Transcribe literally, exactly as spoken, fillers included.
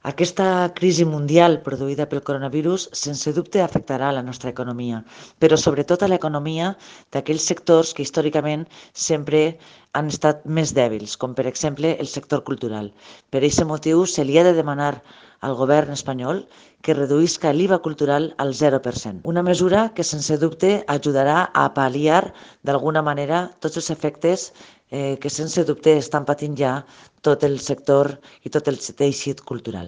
Aquesta crisi mundial produïda pel coronavirus sense dubte afectarà la nostra economia, però sobretot a l'economia d'aquells sectors que històricament sempre han estat més dèbils, com per exemple el sector cultural. Per aquest motiu se li ha de demanar al govern espanyol que reduïsca l'I V A cultural al zero per cent. Una mesura que sense dubte ajudarà a pal·liar d'alguna manera tots els efectes eh, que sense dubte estan patint ja tot el sector i tot el teixit cultural.